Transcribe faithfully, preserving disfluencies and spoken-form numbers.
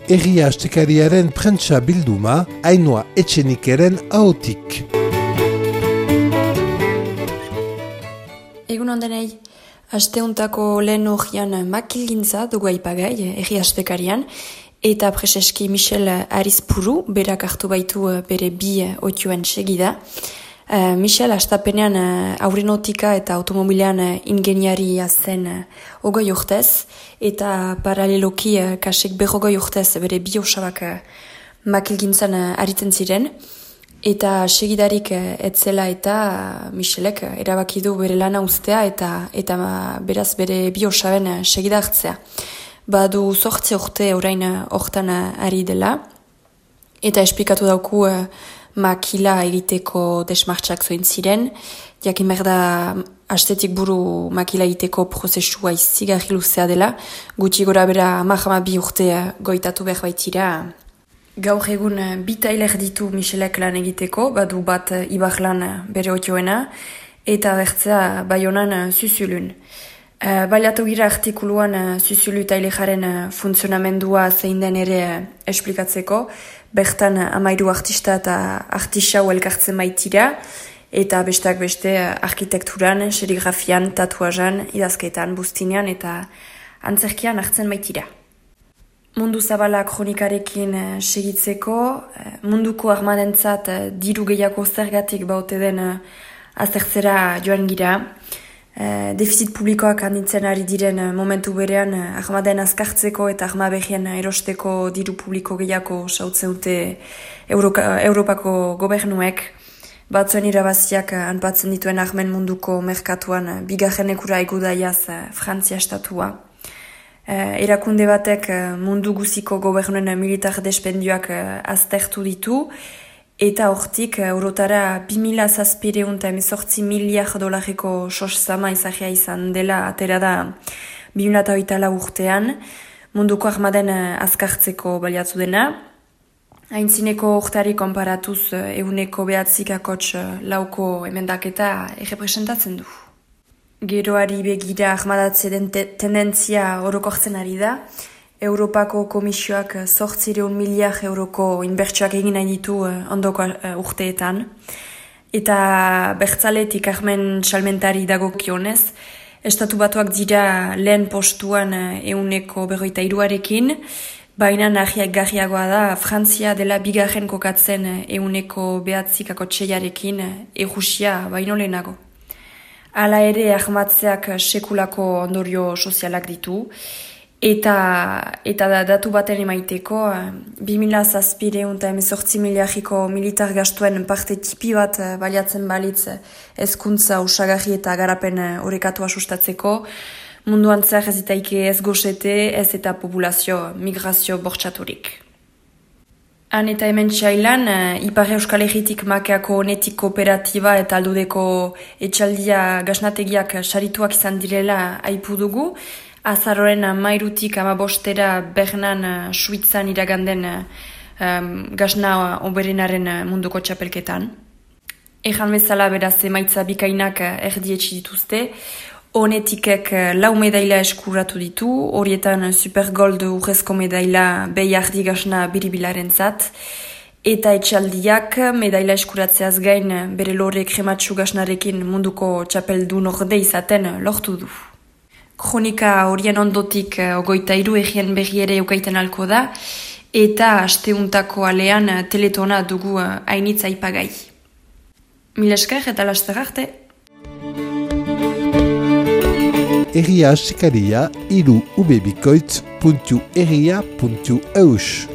Egia astekariaren prentsa bilduma, Ainhoa Etxenikeren ahotik. Egun ondenei, asteuntako lehen horian makilgintza dugu aipagai, egia astekarian, eta preseski Michel Arizpuru, berak hartu baitu bere bi otioen segida. Uh, Michel astapenean uh, aurrenotika eta automobilean uh, ingeniaria zen uh, ogoi urtez, eta paraleloki uh, kasek berrogoi urtez bere bi osabak uh, makilgintzan uh, aritzen ziren, eta segidarik uh, etzela eta uh, Michelek uh, erabaki du bere lana uztea eta eta uh, beraz bere bi osaben uh, segida hartzea. Badu zortzi urte orain uh, hortan uh, ari dela, eta esplikatu dauku uh, makila egiteko desmartxak zoin ziren, jakin behar da astetik buru makila egiteko prozesua izigarri luzea dela, gutxi gora bera mahama bi urte goitatu behar baitira. Gaur egun bi tailer ditu Michelek lan egiteko, badu bat ibar lan bere otioena, eta bertzea Baionan Zuzulun. Uh, Baliatu gira artikuluan uh, Zuzulu tailejaren uh, funtzionamendua zein den ere uh, esplikatzeko, bertan uh, amairu artista eta artisau elkartzen baitira, eta besteak beste uh, arkitekturan, serigrafian, tatuazan, idazketan, bustinean eta antzerkian hartzen baitira. Mundu zabala kronikarekin uh, segitzeko, uh, munduko armadentzat uh, diru gehiago zergatik baute den uh, azertzera joan gira. Uh, defizit publikoak handitzen ari diren uh, momentu berean uh, armaden azkartzeko eta arma behien erosteko diru publiko gehiago sautzen dute Euroka, Europako gobernuek. Batzuen irabaziak uh, anpatzen dituen armen munduko merkatuan uh, bigarren ekura egudaiaz uh, Frantzia estatua. Uh, erakunde batek uh, mundu guziko gobernuen uh, militar despendioak uh, aztertu ditu, eta hortik eurotara bi mila zazpireun eta emezortzi miliar dolareko sos-zama izagia izan dela atera da bi mila hogeita lau urtean, munduko armaden azkartzeko baliatu dena. Aintzineko urtari konparatuz eguneko behatzik akots lauko emendaketa errepresentatzen du. Geroari begira armadatze den te- tendentzia orokortzen ari da. Europako komisioak zortzireun miliar euroko inbertsioak egin nahi ditu ondoko urteetan. Eta bertzaletik armen salmentari dagokionez, estatu batuak dira lehen postuan euneko berroita iruarekin, baina nahiak garriagoa da Frantzia dela bigarren kokatzen euneko behatzikako txeiarekin Errusia baino lehenago. Hala ere armatzeak sekulako ondorio sozialak ditu, Eta, eta da, datu baten emaiteko, bi mila zazpireun eta emezortzi miliarriko militar gastuen parte tipi bat baliatzen balitz hezkuntza osagarri eta garapen orekatua sustatzeko, munduan zer ez itaike ez goxete, ez eta populazio migrazio bortxaturik. Han eta hemen txailan, Ipar Euskal Herritik makeako onetik kooperatiba eta aldudeko etxaldia gaznategiak sarituak izan direla aipu dugu, Azaroren mairutik amabostera Bernan Suitzan iraganden um, gazna oberenaren munduko txapelketan. Ejan bezala beraz emaitza bikainak erdietsi dituzte, honetikek lau medaila eskuratu ditu, horietan Supergold urrezko medaila behiardi gazna biribilaren zat, eta etxaldiak medaila eskuratzeaz gain bere lore krematxu gaznarekin munduko txapeldu norde izaten lortu du. Kronika horien ondotik ogoita hiru egien berri ere eukaiten alko da, eta asteuntako alean teletona dugu hainitz aipagai. Mil esker eta laster arte. Egia asekaria iru ubebikoitz puntu egia puntu eus.